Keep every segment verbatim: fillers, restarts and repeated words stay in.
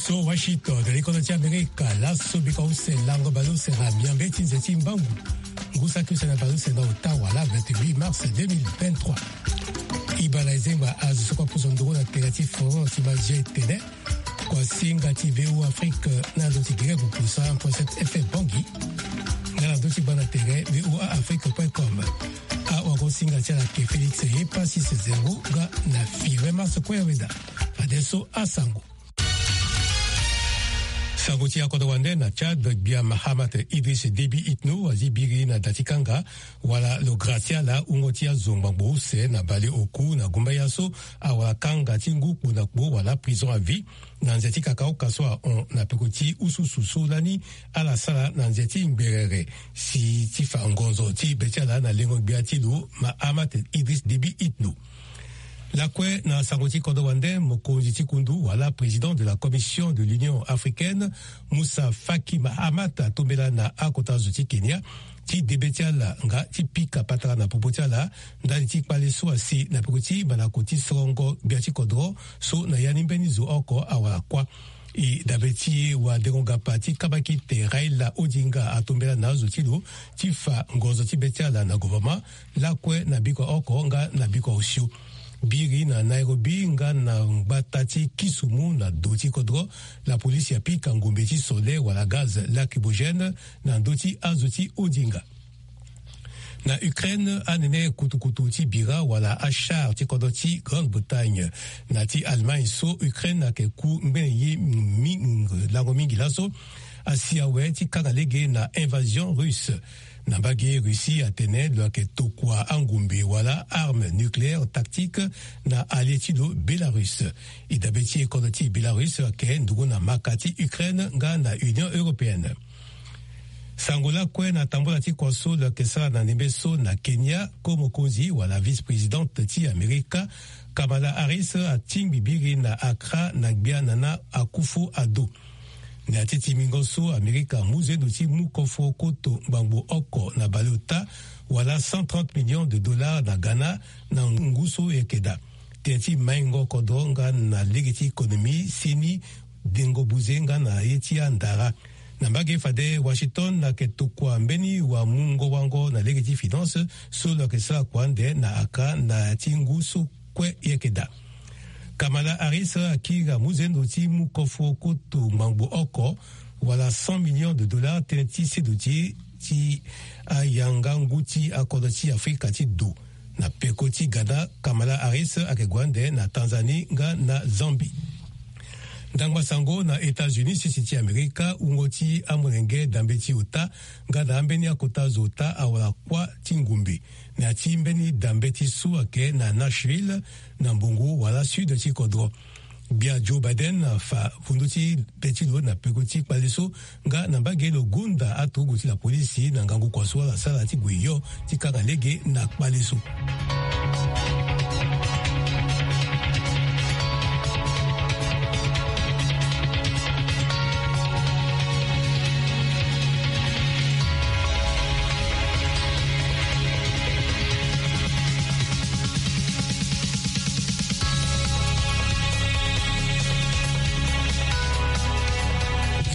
So Washington, likono ti Amerika, laso bika use lango baleuse na miambe ti nze ti mbangu. Ngu saki use na baleuse na ota wala vingt-huit mars deux mille vingt-trois. Ibala ezengba azo so kua puso nduru na tela ti France ti Magie Tene. Kua singa ti V O Afrique na ndo ti Guinée Bukusa, un point sept F M Bangui. Nga na ndo ti bana tere V O A Afrique point com. Awago singa ti ala ke Félix Epa Sise Zengo nga na Fire Mars Kue Weda. Adesso asango. Sango ti akodro wande na Tchad, gbia Mahamat Idriss Déby Itno azi biri na da ti kanga wala lo gracia la wungo ti azo ngbangbo use na baleoku na gumbaya so awara kanga ti ngu kpo na kpo wala prison à vie na nze ti kakaoka so ahon na peko ti ususu so lani ala sara na nze ti ngberere si ti fa ngonzo ti be ti ala na lengo gbia ti lo Mahamat Idriss Déby Itno. Lakue na sango ti kodro wande, mokonzi ti kundu wala président de la Commission de l'Union africaine, Moussa Faki Mahamat, atombela na akota zo ti Kenya ti debe ti ala nga ti pika patara na popo ti ala ndali ti kpale so asi na peko ti malako ti sorongo gbia ti kodro so na ya ni mbeni zo oko awara kuâ. E dabe ti wadengo-gapa ti kabakite Raila Odinga atombela na azo ti lo ti fa ngonzo ti be ti ala na gouvernement lakue na bikua oko nga na bikua osio. Biri na Nairobi nga na ngbata ti Kisumu na do ti kodro, lapolisi apika ngombe ti sole wala gaz lacrymogène na ndö ti azo ti Odinga. Na Ukraine, anene kutukutu ti bira wala achar ti kodro ti Grande-Bretagne na ti Allemagne so Ukraine ayeke ku ngbene ye mingi, lango mingi laso, asi awe ti kanga lege na invasion russe. Na mbage, Russie atene lo yeke tokua angombe wala arme nucléaire tactique na allié ti lo Bélarus. E dabe ti e kodro ti Bélarus ayeke nduru na maka ti Ukraine nga na Union européenne. Sango lakue na tambola ti kua so lo yeke sara na ndembe so na Kenya, ko mokonzi wala vice-présidente ti Amerika, Kamala Harris, atingbi biri na Accra na gbia Nana Akufo-Addo. Na ya ti timbingo so, Amerika amu zendo ti mu kofo koto ngbangbo oko na baleota wala cent trente millions de dollars na Ghana na ngu so e yeke daa. Tënë ti maingo kodro nga na lege ti économie seni dengo buze nga na ye ti andara. Na mbage fade, Washington ayeke tokua mbeni wamungo wango na lege ti finance so lo yeke sara kua ande na Accra na ya ti ngu so kue e yeke daa. Kamala Harris akiri amu zendo ti mu kofo koto ngbangbo oko wala cent millions de dollars tënë ti sedo ti e ti ayanga ngu ti akodro ti Afrika ti do. Na peko ti Ghana, Kamala Harris ayeke gue ande na Tanzanie nga na Zambie. Ndangba sango na États-Unis, sese ti Amerika, wungo ti amolenge dambe ti ota nga na ambeni akota zo ota awara kuâ ti ngombe na ya ti mbeni dambe ti so ayeke na Nashville, na mbongo wala sud ti kodro. Gbia Joe Biden afa vundu ti be ti lo na peko ti kpale so nga na mbage lo gonda aturugu ti lapolisi na ngangu kua so ala sara ti gue yo ti kanga lege na kpale so.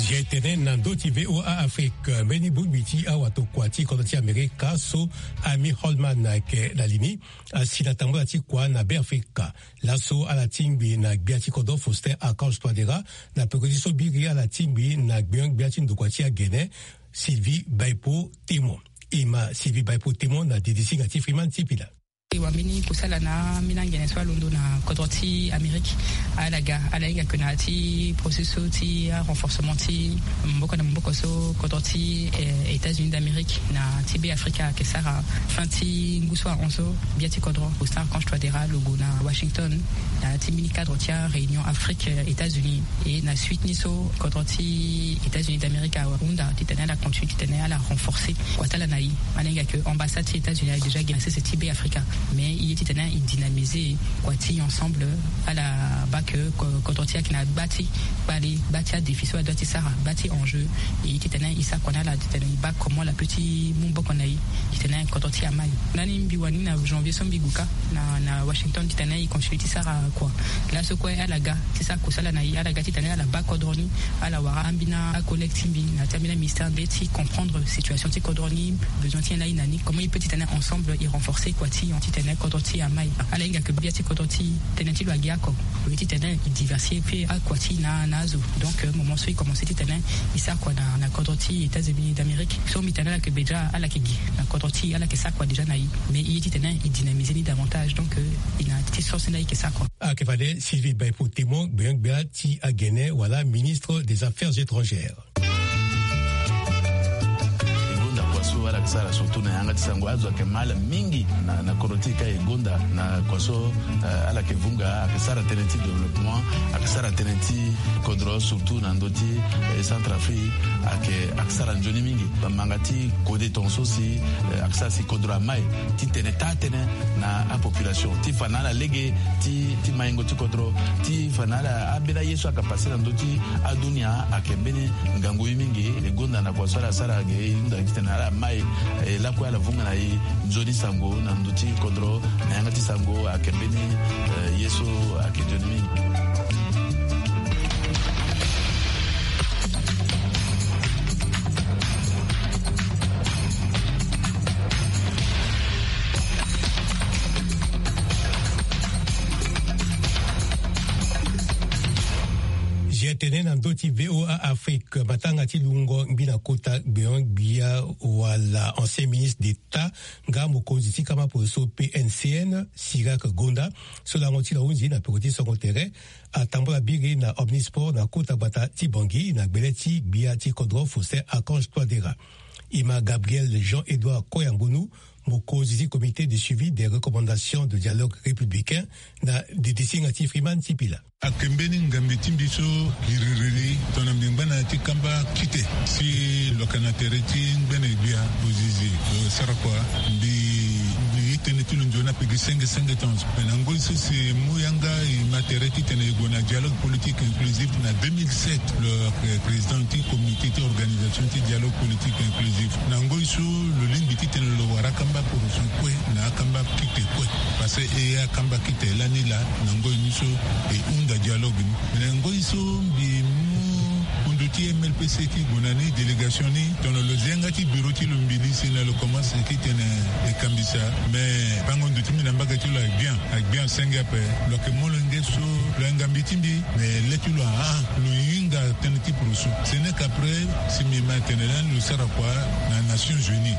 Zi tene na ndö ti V O A Afrique, mbeni bongbi ti awatokua ti kodro ti Amerika so Amie Holman ayeke na li ni, asi na tambula ti kua na Beafrika. Laso ala tingbi na gbia ti kodro Faustin Archange Touadéra na peko ti so biri ala tingbi na gbenyo-gbia ti ndokua ti agene, Sylvie Baipo Témon. E ma Sylvie Baipo Témon na didi singa ti Freeman Sipila. E wambeni kosala na ambeni angene so alondo na kodro ti Amérique. Ala ga, ala hinga ke na ya ti processus so ti arenforcement ti maboko na maboko so kodro ti, eh, États-Unis d'Amérique na ti Beafrika ayeke sara fin ti ngu so ahon so. Gbia ti kodro Faustin Archange Touadéra lo gue na Washington na ya ti mbeni cadre ti aréunion Afrique, eh, États-Unis. E na suite ni so kodro ti États-Unis d'Amérique ahunda titene ala continue titene ala renforcer kua ti ala na e. Ala hinga ke ambassade ti États-Unis ayeke déjà gi na sese ti Beafrika. Mais i ye titene i dynamiser kua ti ensemble. Ala bake kodro ti ayeke na gba ti kpale, gba ti adéfi so adua ti sara, gba ti enjeu. E ye titene i sara kua na ala titene i bake comment ala peut ti mu boko na i titene kodro ti amai. Ndani mbi wani na janvier so mbi gue kâ na na Washington titene i continue ti sara kua. Laso kue ala ga ti sara kusala na i, ala ga titene ala bake kodro ni, ala wara ambeni akollègue ti mbi na ti ambeni aministère nde ti comprendre situation ti kodro ni, besoin ti nyen na i na ni, comment i peut titene ensemble i renforcer kua ti titene kodro ti amai. Ala hinga ke gbia ti kodro ti tënë ti lo agi oko. Lo ye titene i diversifier akua ti na na azo. Donc moment so i commencer titene i sara kua na na kodro ti États-Unis d'Amérique so mbi tene ala ke be déjà ala ke gi na kodro ti ala ke sara kua déjà na i. Mais i ye titene i dynamiser ni davantage, donc i na ti source nda i ke sara kua. Ayeke fade Sylvie Baipo Témon gbengbia ti agene wala ministre des affaires étrangères. E gonda kua so ala ke sara surtout na yanga ti sango, azo ayeke mal mingi na na kodro ti e ka. E gonda na kua so ala ke vunga, ayeke sara tënë ti développement, ayeke sara tënë ti kodro surtout na ndö ti Centrafrique. Ayeke ayeke sara nzoni mingi. Bamanga ti kode tongaso si ayeke sara si kodro amai ti tene taa tënë na apopulation ti fa na ala lege ti ti maingo ti kodro, ti fa na ala ambeni aye so ayeke passe na ndö ti adunia. Ayeke mbeni ngangu ye mingi. E gonda na kua so ala sara ge e hunda titene ala mai e lakue ala vunga na e nzoni sango na ndö ti kodro na yanga ti sango. Ayeke mbeni ye so ayeke nzoni mingi. Zia tene na ndö ti VOA Afrique, matanga ti lungo ngbi na kota gbeon gbia wala ancien ministre d'état nga mokonzi ti kamba poroso P N C N, Sirac Gonda, so lango ti lo ahunzi na peko ti songo tere, atambola biri na Omnisport na kota gbata ti Bangui na gbele ti gbia ti kodro Faustin Archange Touadéra. Ima Gabriel Jean-Édouard Koyangonu, mokonzi ti Comité de suivi des recommandations de dialogue républicain, na didisinga ti Freeman Sipila. Ayeke mbeni ngambi ti mbi so giririri tongana mbi ngba na ya ti kamba kite si lo yeke na tere ti ngbene gbia ozizi lo sara kua. Mbi mbi ye tënë ti lo nzoni ape gi senge senge tongaso. Me na ngoi so si e mu yanga e ma tere titene e gue na dialogue politique inclusif na deux mille sept, lo yeke président ti comité ti organisation ti dialogue politique inclusif. Na ngoi so lo lingbi titene lo wara akamba poroso kue na akamba kite kue. Parce que e akamba kite lani laa na ngoi ni so e hunda dialogue ni. Me na ngoi so mbi mu kundu ti M L P C ti gue na ni délégation ni, tongana lo zi yanga ti bureau ti lo mbili si na lo commence titene e kambisa. Me bango ndo ti mbi na mbage ti lo agbia agbia senge ape. Lo yeke molenge so lo yanga mbi ti mbi. Me le ti lo ahah lo hinga tënë ti poroso. Ce n'est qu'après si mbi ma tene lani lo sara kua na Nations Unies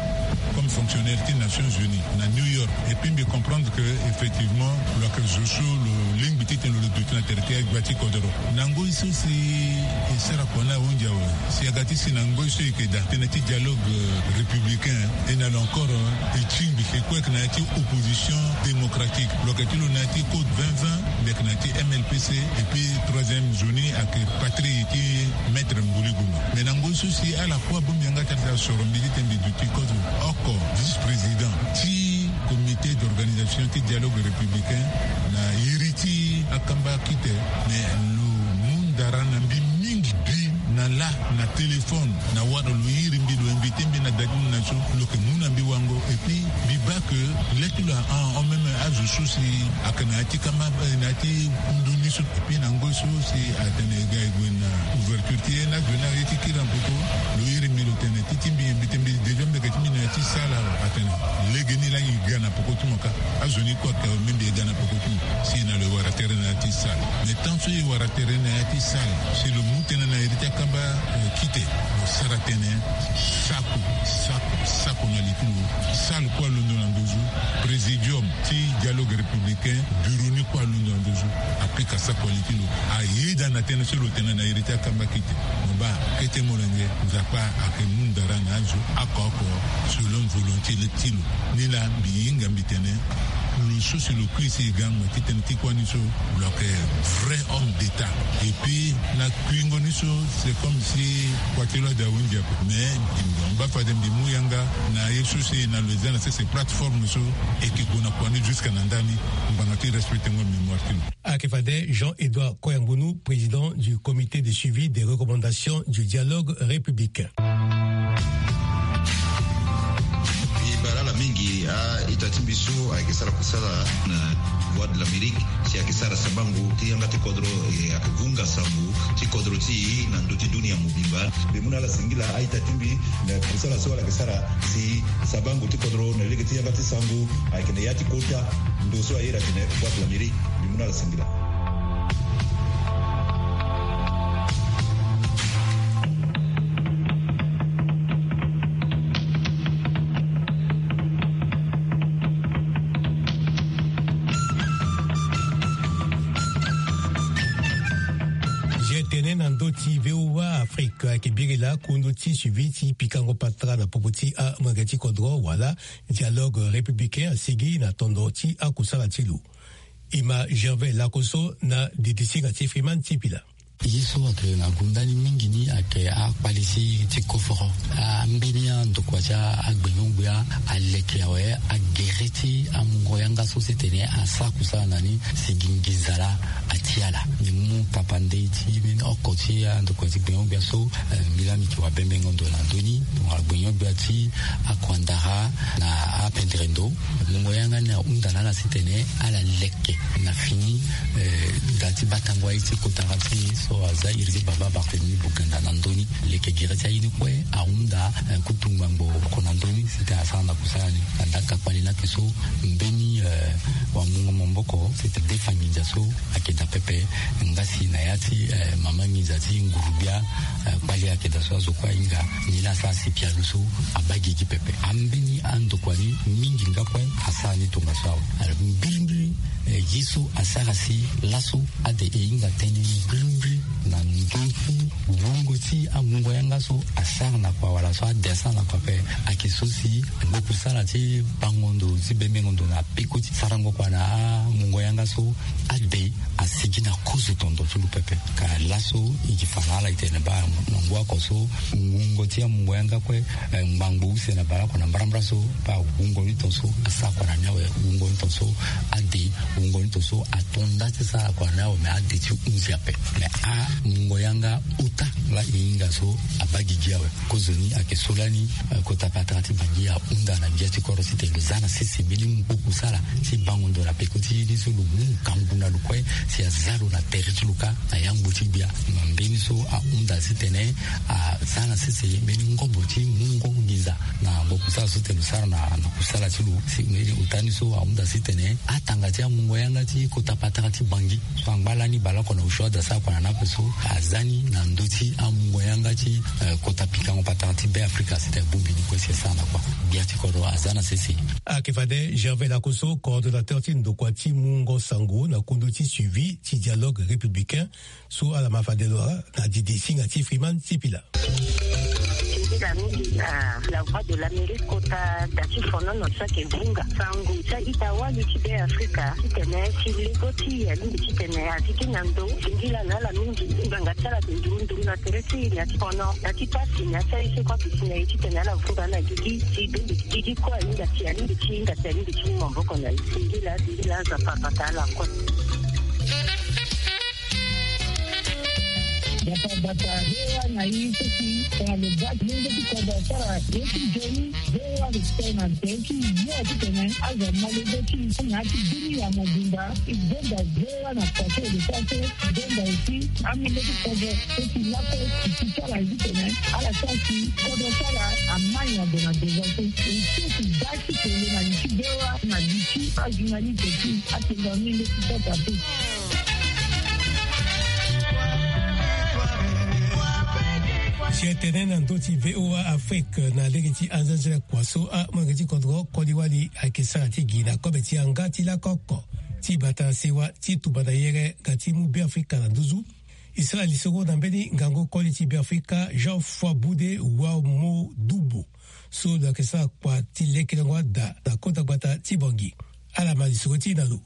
comme fonctionnaire ti Nations Unies na New York. Et puis mbi comprendre que effectivement lo yeke zo so lo lingbi titene lo duti na tere ti agbia ti kodoro. Na ngoi so si e sara kua ni ahunzi awe, si aga ti si na ngoi so e yeke daa tënë ti dialogue républicain, e na lo encore e tingbi e kue yeke na ya ti opposition démocratique. Lo yeke ti lo na ya ti code vingt vingt, mbi yeke na ya ti M L P C. Et puis troisième nzoni ayeke patrie ti maître Mbuli Guma. Mais na ngoi so si ala kue abongbi yanga ti ala soro mbi titene mbi duti kodro oko vice-président ti comité d'organisation ti dialogue républicain na iri ti akamba kite. Mais lo mu ndara na mbi mingi bi na lâ na téléphone na wara lo iri mbi lo invité mbi na da ti mbi na so lo yeke mu na mbi wango. Et puis mbi baa que le ti lo ahon même azo so si ayeke na ya ti kamba na ya ti kundu ni so. Et puis na ngoi so si atene e ga e gue na ouverture ti ye ni azo ni aye ti kiri na peko. Lo iri mbi lo tene ti ti mbi mbi tene mbi déjà mbi yeke ti mbi na ya ti salle awe. Atene legeni laa e ga na peko ti mo kâ. Azo ni kue ayeke awe me mbi e ga na peko ti mo. Si na lo e wara tere na ya ti salle. Mais tant so e wara tere na ya ti salle si lo mu tënë na iri ti akamba kite, lo sara tënë sako sako sako na li ti lo. Salle kue alondo na nduzu. Présidium ti dialogue républicain, bureau ni kue alondo na nduzu. Apika sako na li ti lo. Ayeda na tënë so lo tene na iri ti akamba kite. Mo baa kete molenge, Nzapa ayeke mu ndara na azo oko oko selon volonté ti lo. Ni laa mbi hinga mbi tene Lo so si lo kui si e ga mo ti tene ti kuâ ni so, lo yeke vrai homme d'état. Et puis na kuingo ni so, c'est comme si kua ti lo ade ahunzi ape. Mais mbi baa fade mbi mu yanga na ye so si na lo eza na sese plateforme so, e yeke gue na kua ni jusque na ndani. Ngbanga ti respectengo mémoire ti lo. Ayeke fade Jean Edouard Koyangunu, président du comité de suivi des recommandations du dialogue républicain. Mbi baa ala mingi. A-ita ti mbi so ayeke sara kusala na Voix de l'Amérique, si ayeke sara sabango ti yanga ti kodro, e ayeke vunga sango ti kodro ti e na ndö ti dunia mobimba. Mbi mu na ala singila, a-ita ti mbi, na kusala so ala yeke sara si sabango ti kodro na lege ti yanga ti sango, ayeke na ya ti kota ndo so a iri atene Voix de l'Amérique. Mbi mu na ala singila. Zia tene na ndö ti V O A Afrique ayeke biri laa kundu ti suivi ti pikango patara na popo ti amolenge ti kodro wala dialogue républicain asigi na tondo ti akusala ti lo. Ima Gervais Lakoso na didisinga ti Freeman Tipila. Ye so ayeke na gonda ni mingi ni ayeke akpali ti, ti koforo. Ambeni andokua ti agbenyo-gbia aleke awe agere ti amungo yanga so ti tene asara kusala na ni si gi nginza laa ati ala. Mbi mu papa ndei ti mbeni oko ti andokua ti gbenyo-gbia so, eh, mbi laa mbi yeke wabembengo ndo na ndö ni. Tongana gbenyo-gbia ti akuandara na apendere ndo. Mungo yanga ni ahunda na ala si tene ala leke na fini, eh, da ti batango aye ti kota ti so aza iri ti baba Barthélemy Boganda na ndö ni. Leke gere ti aye ni kue ahunda, eh, kutu ngbangbo oko na ndö ni si tene asara na kusala ni. Anda ka kpali ni ayeke so mbeni, eh, wamungo maboko si tene defa nginza so ayeke daa pepe. Nga si na ya ti, eh, mama nginza ti nguru-gbia, eh, kpali ayeke daa so azo kue ahinga. Ni laa asara si pialo so abaa gigi pepe. Ambeni andokua ni mingi nga kue asara ni tongaso awe. Alors mbirimbiri, eh, ye so asara si laso ade e hinga tënë ni mbirimbiri na ndö ti wungo ti amungo yanga so asara na kua wala so ade asara na kua ape. Ayeke so si ndokusala ti bango ndo ti bembengo ndo na peko ti sarango kua na amungo yanga so ade asigi na kozo tondo ti lo pepe. Ka laso e gi fa na ala e tene baa na ngu oko so wungo ti amungo yanga kue, eh, ngbangbo use na bale oko na mbarambara so, baa wungo ni ton so asara kua na ni awe, wungo ni ton so ade, wungo ni ton so ato nda ti sara kua na ni awe, me ade ti hunzi ape. Me amungo yanga ota laa e hinga so abaa gigi awe. Kozoni ayeke so lani, eh, kota patara ti Bangui ahunda na gbia ti kodro ti tene lo za na sese mbeni ngu kusala ti bango ndo na peko ti ye ni so lo mu ngangu na lo kue si aza lo na tere ti lo kâ na yangbo ti gbia. Na mbeni so ahunda ti tene aza na sese mbeni ngobo ti mungo nginza na ngu kusala so tene lo sara na, na kusala ti lo. Si mbeni ota ni so ahunda ti tene atanga ti amungo yanga ti kota patara ti Bangui so angba lani bale oko na osio ade asara kua na ni ape so aza ni na ndö ti amungo yanga ti, eh, kota pikango patara ti Be Afrika si tene bongbi ni kue si asara na kua. Gbia ti kodro aza na sese. Ayeke fade Gervais Lakoso, coordonnateur ti ndokua ti mungo sango na kundu ti suivi ti dialogue républicain so ala ma fade lo na didi singa ti Freeman Sipila. Singila mingi na La Voix de l'Amérique kota da ti fonono so ayeke vunga sango ti a-ita wali ti Be Afrika titene si lego ti e alingbi titene azi gi na ndo. Singila na ala mingi. Ngbanga ti ala ayeke nduru nduru na tere ti e na ya ti fono na ya ti pasi na ya ti aye so kue ayeke si na e titene ala vunga na gigi ti bembe ti gigi kue ahinga si alingbi ti hinga si alingbi ti mu maboko na e. Singila, singila, Nzapa abata ala kue. Gbata gbata, V O A na e so si tongana lo baa ti lenge ti kodro asara ye ti nzoni, V O A lo sara na tere ti yo titene azo ama lege ti e na ya ti dunia mobimba. E gonda V O A na kua so e lo sara so, e gonda aussi amolenge ti kodro so si lakue e ti sara titene ala sara si kodro ti ala ama nyango na devant so. E so si baa ti tene na li ti V O A na li ti ajournaliste ti atene na molenge ti kota so. Si e tene na ndö ti V O A Afrique na lege ti anzenzele kua so amolenge ti kodro koli wali ayeke sara ti gi na kobe ti yanga ti lakoko ti bata sewa ti tumba na yere nga ti mu Be Afrika na nduzu. E sara lisoro na mbeni ngangu koli ti Be Afrika Jean Foi Boude Wamodubo so lo yeke sara kua ti lekelengo ada na kota gbata ti Bangui. Ala ma lisoro ti na lo.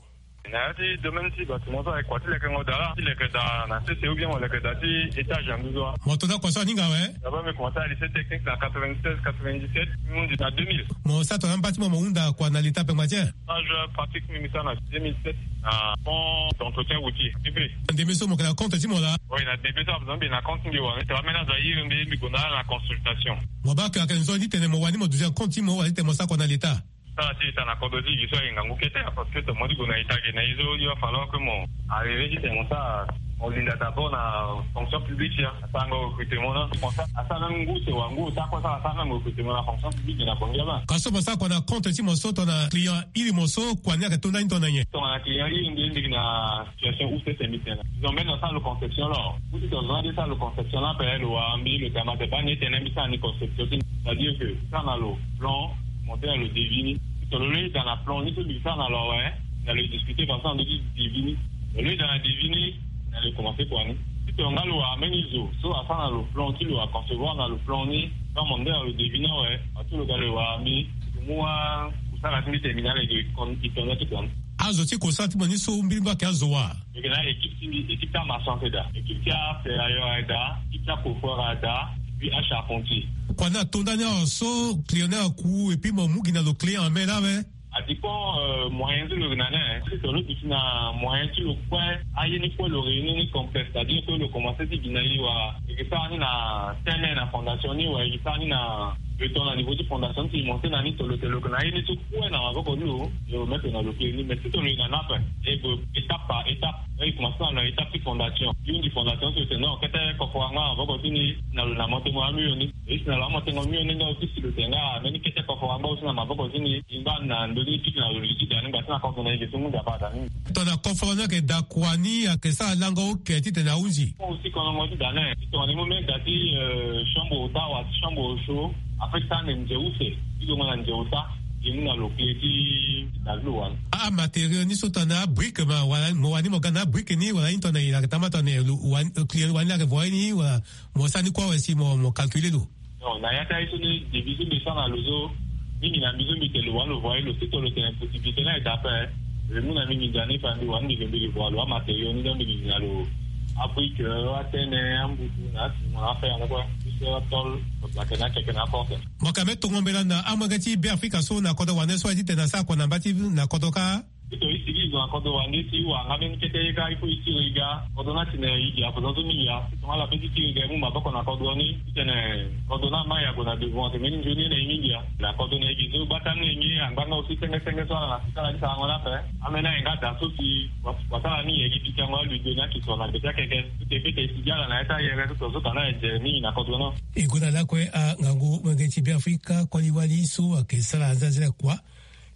Na ya ti domaine ti bâtiment so ayeke kua ti lekengo daa la ti leke daa na sese ou bien mo leke daa ti étage na nduzu wa. Mo to na kua so aninga awe. D'abord mbi commencé na lycée technique na quatre-vingt-seize quatre-vingt-dix-sept, mbi hundi na deux mille. Mo sara tongana amba ti mo mo hunda kua na leta pengba ti e? Stage pratique mbi mbi sara na deux mille sept na pont d'entretien routier, P P. Ndembe so mo yeke na compte ti mo laa? Oui, na ndembe so azo mbi na compte ti mbi wa, mbi tene ambeni azo airi mbi, mbi gue na ala na consultation. Mo baa ke ayeke nzoni ti tene mo wani mo duti na compte ti mo wala ti tene mo sara kua na leta? Sara ti leta na kodro ti gi so aye ngangu kete ya, parce que tongana mo ti gue na leta ge na ye so il va falloir que mo arrivé ti tene mo sara, mo linda d'abord na fonction publique ya, asarango recrutement na. Mo sara asara même ngu sewa ngu ota kue asara asara même recrutement na fonction publique na Bangui laba. Ka so mo sara kua na compte ti mo so tongana client iri mo so kua ni ayeke to ndani tongana nyen? Tongana client iri mbi lingbi na situation use tene mbi tene. Ils ont même asara lo conception là. Ou si ton zona de sara lo conception là pe lo wara mbi lo tene ma te baa ni e tene mbi sara ni conception ti ni. C'est-à-dire que sara na lo plan, monté na lo devis ni. Si ton lo lo ida na plan ni so mbi sara na lo awe, na lo discuter parce que na ndo ti devis ni. Lo lo ida na devis ni, na lo commencer kua ni. Si ton nga lo wara mbeni zo so asara na lo plan ti lo aconcevoir na lo plan ni, so amande na lo devis ni awe, ato lo ga lo wara mbi, lo mu wa kusala ti mbi tene mbi na lege i kon i tonda ti kua ni. Azo ti kosala ti mo ni so mbirimbiri ayeke azo wa? Mbi yeke na équipe ti mbi, équipe ti amaçon ayeke daa, équipe ti aferrailleur ayeke daa, équipe ti acoffreur ayeke daa, et puis acharpentier. Kua ni ato ndani awe so client ni aku et puis mo mu gi na lo client en main laa awe? Adépend, euh, moyen ti lo yeke na ni. Si ton lo duti na moyen ti lo kue, aye ni kue lo réunir ni complexe, c'est-à-dire que lo commencer ti gi na e wala e yeke sara ni na tene na fondation ni wala e yeke sara ni na béton na niveau ti fondation ti e, monté na ni tolo tene lo yeke na aye ni so kue na maboko ti lo, e remettre na lo clé ni. Mais si ton lo yeke na ni ape, e gue étape par étape. E commencer na lo na étape ti fondation. Hundi fondation so e tene non kete coffre angba na maboko ti ni, na lo na monté mo amio ni. E si na lo amonté mo amio ni nga aussi si lo tene nga mbeni kete coffre angba aussi na maboko ti ni. Ngba na ndo ni piki na lo li ti da ni ngba ti na kodro na e ge so mu da baa da ni. Tongana coffre ni ayeke da kua ni ayeke sara lango oke titene ahunzi. Aussi kolongo ti da ni. Tongana e mu mbeni da ti, euh, chambre ota wala ti chambre au chaud. Après ti tene nze use ti lo nga na nze ota. Gi mu na lo clé ti da ti lo wani. Amatériaux ni so tongana abrique ma wala mo wani mo ga na abrique ni wala ni tongana e yeke tama tongana lo wani, client wani ayeke voyer ni wala mo sara ni kue awe si mo, mo calculer lo. Non, na ya ti aye so ni devis so mbi sara na lo so, mingi na mbi so mbi tene lo wani lo voyer lo, si ton lo tene possibilité ni ayeke daa ape, lo mu na mbi mbi ndia ni fa mbi wani mbi lo mbi lo voyer lo amatériaux ni donc mbi gi na lo abrique, euh, atene, ambutu na aciment, afer na kue, plus atôle, lo place na akeke na aporte. Mo yeke ambeni tongo mbela na amolenge ti Beafrika so na kodro wande so aye titene asara kua na mba ti na kodro kâ? Titene e sigi e zo na kodro wande ti wara nga mbeni kete ye kâ, il faut e tiri e ga. Kodro ni atene e gi akozon so mingi ya. Tongana ala pe ti tiri e ga e mu maboko na kodro ni titene kodro ni ama e ague na devant tene mbeni nzoni ye na e mingi ya. Na kodro na e gi so bata ni na e nge angba nga aussi senge senge so ala na sika ala ti sarango ni ape. Ambeni aye nga da so si wa, wasara ni e gi pikango aludo ni akisoro na gbe ti akeke. Titene e sigi ala na ya ti ayere so tongaso tongana e je mingi na kodro ni. E gue na lakue angangu molenge ti Beafrika koli wali so ayeke sara anzanzele kua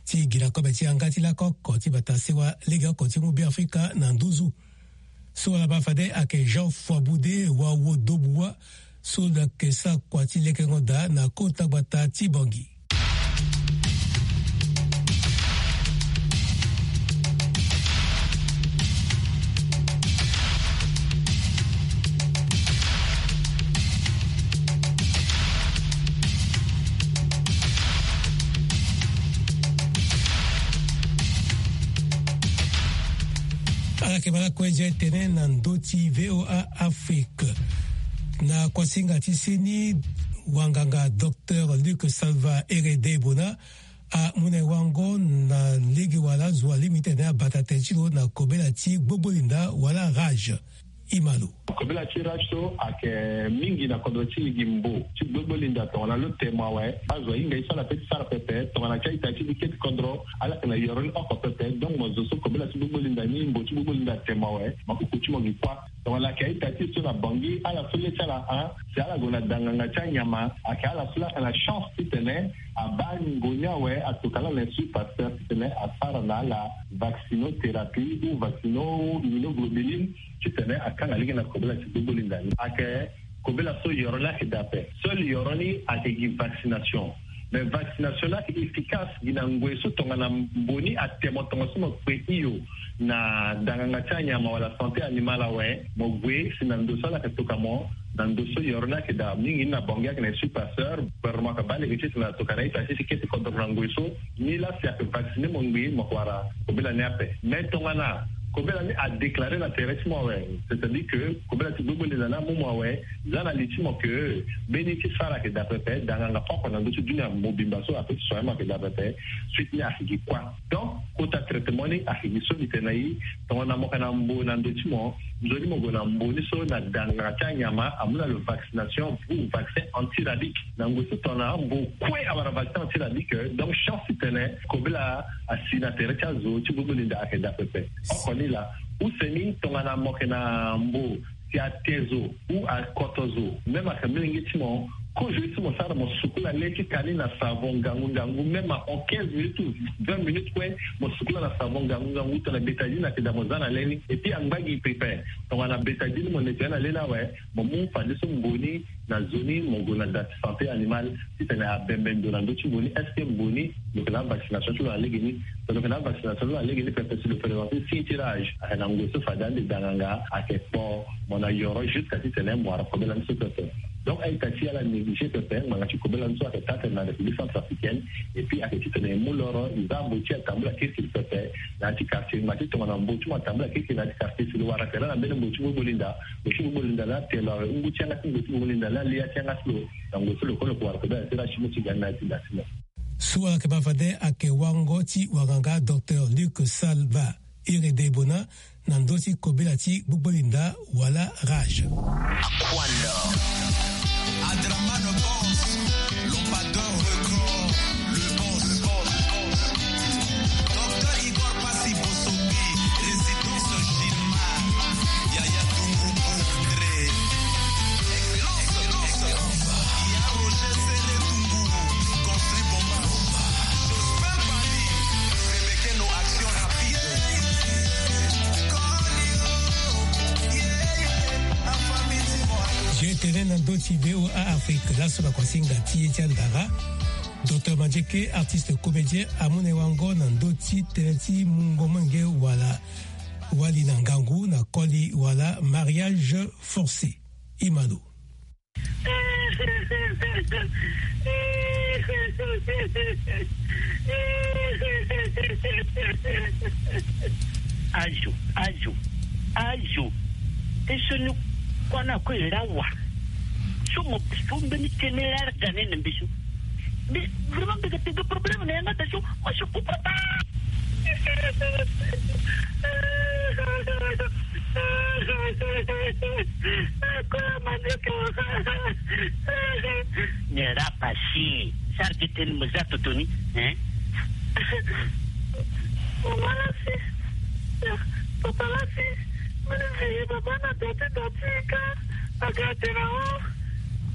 ti gi na kobe ti yanga ti lako oko ti bata sewa legeoko ti mu Beafrika na nduzu. So ala baa fade ayeke Jean Foiboude Wawo Dobuwa so lo yeke sara kua ti lekengo daa na kota gbata ti Bangui. Ala yeke ma lakue je tene na ndö ti V O A Afrique. Na kuasinga ti seni, wanganga docteur Luc Salva Herede Bona amu na e wango na lege wala zo alingbi ti tene abata tene ti lo na kobela ti gbogbolinda wala rage. Imalo. Kobela ti rage so ayeke mingi na kodro ti e gi mbo ti gbogbolinda tongana lo te mo awe. Azo ahinga ye so ala pe ti sara pepe tongana ti a-ita ti li keti kodro ala yeke na yoro ni oko pepe. Donc mo zo so kobela ti gbogbolinda ni, mbo ti gbogbolinda ate mo awe, makuku ti mo gi kuâ. Tongana ayeke a-ita ti e so na Bangui, ala so le ti ala hon si ala gue na da nganga ti anyama, ayeke ala so la ayeke na chance titene abaa ngu ni awe, atokua ala na Institut Pasteur titene asara na ala vaccinothérapie ou vaccino immunoglobuline titene akanga lege na kobela ti gbogbolinda ni. Ayeke kobela so yoro ni ayeke daa ape. Seul yoro ni ayeke gi vaccination. Mais vaccination ni ayeke efficace gi na ngoi so tongana mbo ni ate mo tongaso mo kpe hio na da nganga ti anyama wala santé animale awe, mo gue si na ndo so ala yeke tokua mo Na ndo so yoro ni ayeke daa mingi ni na Bangui ayeke na esprit passeur. Gouvernement ayeke baa lege ti tena tokana ita ti si kete kodro na ngoi so. Ni laa si ayeke vacciner mo ngbii mo yeke wara kobela ni ape. Mais tongana kobela ni adéclarer na tere ti mo awe, c'est-à-dire que kobela ti gbogbo linda ni amu mo awe, za na li ti mo ke mbeni ti sara ayeke daa pepe, daa nganga oko na ndö ti dunia mobimba so ape ti soin mo ayeke daa pepe. Suite ni ayeke gi kua. Donc kota traitement ni ayeke gi so mbi tene na i. Tongana mo yeke na mbo na ndö ti mo, nzoni mo gue na mbo ni so na daa nganga ti anyama amu na lo vaccination ou vaccin antirabique. Na ngoi so tongana mbo kue awara vaccin antirabique, donc chance ti tene kobela asi na tere ti azo ti gbogbo linda ayeke daa pepe. Oko ni laa. Use ni tongana mo yeke na mbo si ate zo ou akoto zo, même ayeke molenge ti mo, kozo ye ti mo sara mo sukula le ti ka ni na savon ngangu ngangu, même en quinze minutes ou vingt minutes kue, mo sukula na savon ngangu ngangu tongana bétadine ayeke daa mo za na le ni. Et puis angba gi pepe. Tongana bétadine mo nettoyer na le ni awe, mo mu fadeso mbo ni na zo ni, mo gue na da ti santé animale ti tene abembe ndo na ndö ti mbo ni, est-ce que mbo ni lo yeke na avaccination ti lo na lege ni? So lo yeke na avaccination ti lo na lege ni pepe, si lo présenter signe ti rage, ayeke na ngoi so fade ande daa nganga ayeke kpo mo na yoro jusqu'à ti tene mo wara kobela ni so pepe. Donc a-ita ti ala négliger pepe ngbanga ti kobela ni so ayeke taa tene na République centrafricaine. Et puis ayeke ti tene e mu loro e za mbo ti atambula kirikiri pepe na ya ti quartier. Ngbanga ti tongana mbo ti mo atambula kirikiri na ya ti quartier, si lo wara tere na mbeni mbo ti gbogbo linda, mbo ti gbogbo linda laa te lo awe ngu ti yanga ti mbo ti gbogbo linda laa li ya ti yanga ti lo. Na ngoi so lo kue lo yeke wara kobela ti rage ti mo ti ga ni na ya ti da ti mo. So ala yeke baa fade ayeke wango ti wanganga docteur Luc Salva. Iri de Bona na ndö ti kobela ti gbogbo linda wala rage. Aquanda. Adraman Boss, Lopateur Record, le boss. Docteur Igor Passy Bosombi, résidence Gilmar. Yaya Dungu Bourdre. Excellence, excellence. Yaya Roger Sele Dungu, construit Bomba. Jospin Bali, Sebekeno Action Rapide. G T N na ndö ti V O A Afrique, laso na kuasinga ti ye ti andara. Docteur Mandieke, artiste comédien, amu na e wango na ndö ti tënë ti mungo molenge wala wali na ngangu na koli wala mariage forcé. Imano. Azo, azo, azo. Te so ni kuâ na kue e ra wa. So mo so mbeni tënë laa ga ni na mbi so. Mais vraiment mbi ga tene problème na yanga da so. Moi je comprends pas. Ni ra pasi. Sara gi tënë mo za toto ni, hein? Mama lasi. Papa lasi. Mene veillé baba na dati dati ka. Aga tena o.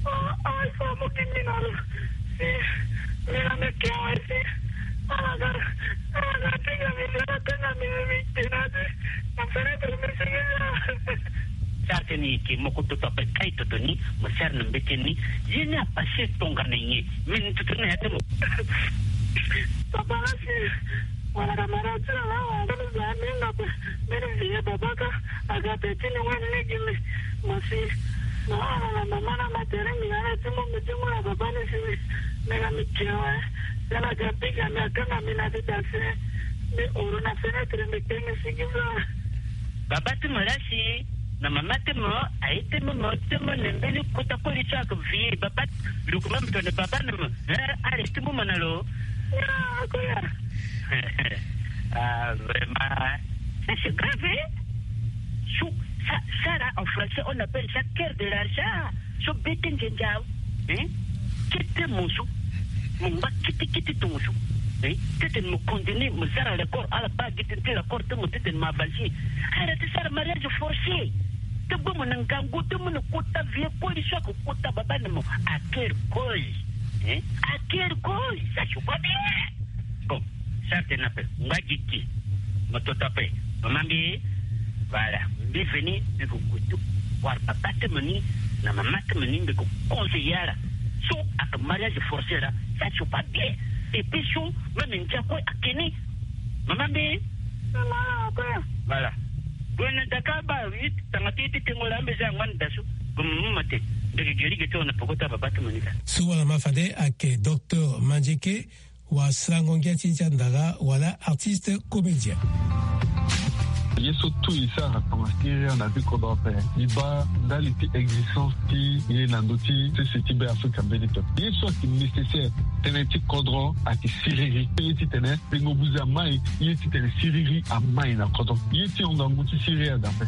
O, o, il faut mo ki mina lo. Si. Mina me ke o si. Ala ga, ala ga pinga mi, ala pinga mi, mi tena di. Mo fenêtre mi si. Sara tënë eke, mo ko toto ape kai toto ni, mo sara na mbete ni. Ye ni apase tongana nyen? Mene toto ni na ya ti mo. Papa lasi. Wala na mara ti na la, wala na za ni na pe. Mene veillé baba ka. Aga pe ti ni wani lege me. Mo si. Na ala na mama na ma tere mi na ala ti mo, me ti mo na baba ni si. Me na mi ke wa. Ala ga pinga mi, akanga mi na ti da si. Me oro na fenêtre, me ke mi si gi fa. Baba ti mo lasi na mama ti mo aye ti mo, mo ti mo na mbeni kota koli so ayeke veillé baba. Lo ko même tene baba na mo. Eh, allez, ti mo mo na lo. Ah, vraiment. Ça, c'est grave, hein? So, ça, ça là, en français, on appelle ça cœur de l'argent. So, bete ngenza. Hein? Kete mo so. Mo ngba kete kete tongo so. Hein? Tete mo condamné, mo sara l'accord, ala ba gi tene ti l'accord ti mo, tete mo avancer. Ala ti sara mariage forcé. Ti gbo mo na ngangu, ti mo na kota vieux koli so ayeke kota baba na mo. À quel cause? Hein? À quel cause? Ça, je vois bien. Bon, sara tënë ape, ngba gi gi. Mo toto ape. Mama mbi, voilà. Mbi veni, mbi ko kutu. Wara papa ti mo ni, na mama ti mo ni, mbi ko conseiller ala. So, ayeke mariage forcé là, ça, je vois bien. Et puis so, même ndia kue ayeke ni. Mama mbi. Mama, ape. Voilà. Gue na daka ba, huit, tanga ti, ti tengo la, mbi za ngba na da so. Bamama mate, ndege gerige ti wana poko ti ababa ti mo ni ka. So wala ma fade ayeke docteur Mandieke, wasarango ngia ti ye ti andara wala artiste comédien. Ye so tout e sara tongana siriri na vie kodro ape, e baa ndali ti existence ti ye na ndö ti sese ti Be Afrika mbeni pepe. Ye so ayeke nécessaire tënë ti kodro ayeke siriri. Ye titene pengo buze amai, ye titene siriri amai na kodro. Ye ti hon ngangu ti siriri ada ape.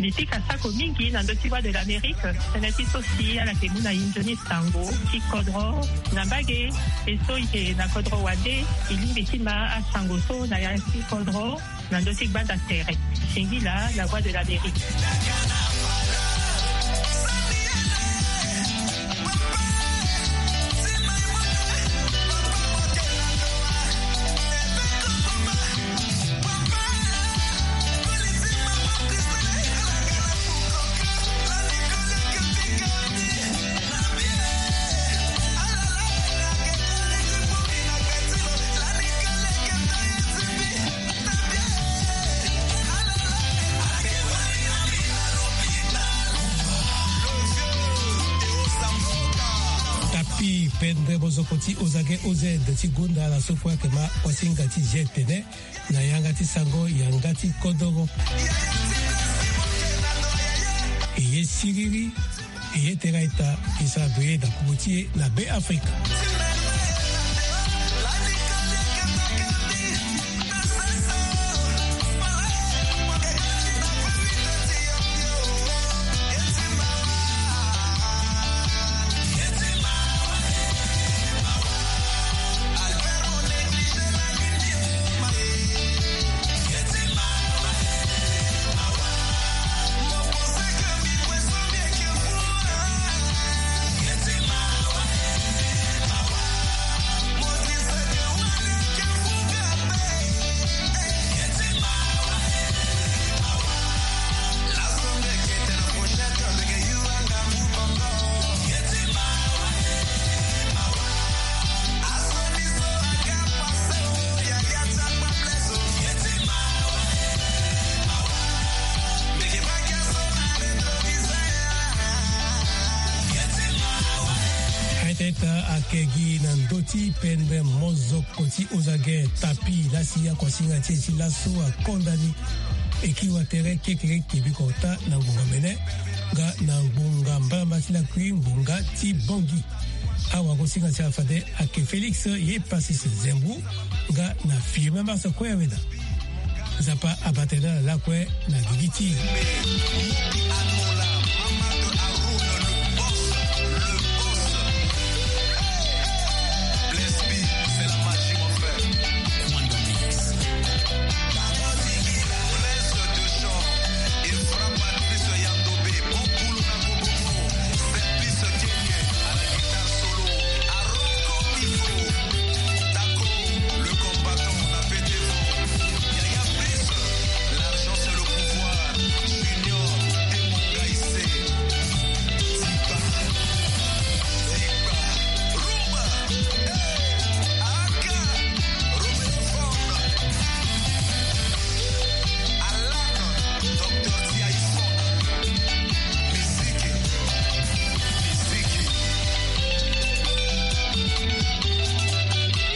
Mbi pika sako mingi na ndö ti Voix de l'Amérique, tënë ti so si ala yeke mu na e nzoni sango ti kodro na mbage. E so e yeke na kodro wande, e lingbi ti ma asango so na ya ti kodro na ndö ti gbanda tere. Singila, La Voix de l'Amérique. Tapi pendre mozoko ti Ozage O Z ti gonda ala so kue ayeke ma kuasinga ti G T N na yanga ti sango yanga ti kodoro. E ye siriri, e ye tera ita, e sara doye na popo ti e na Be Afrika. Aita ita ayeke gi na ndö ti pendre mozoko ti Ozage Tapi, lasi akuasinga ti e ti laso akonda ni. E kiri wa tere kekereke biko ota na ngbonga mene nga na ngbonga mbalamba ti lakui ngbonga ti Bangui. Awagosinga ti ala fade ayeke Félix ye Persis Zembou nga na Firmin Mars Koyaweda. Nzapa abata na lakue na gigi ti e.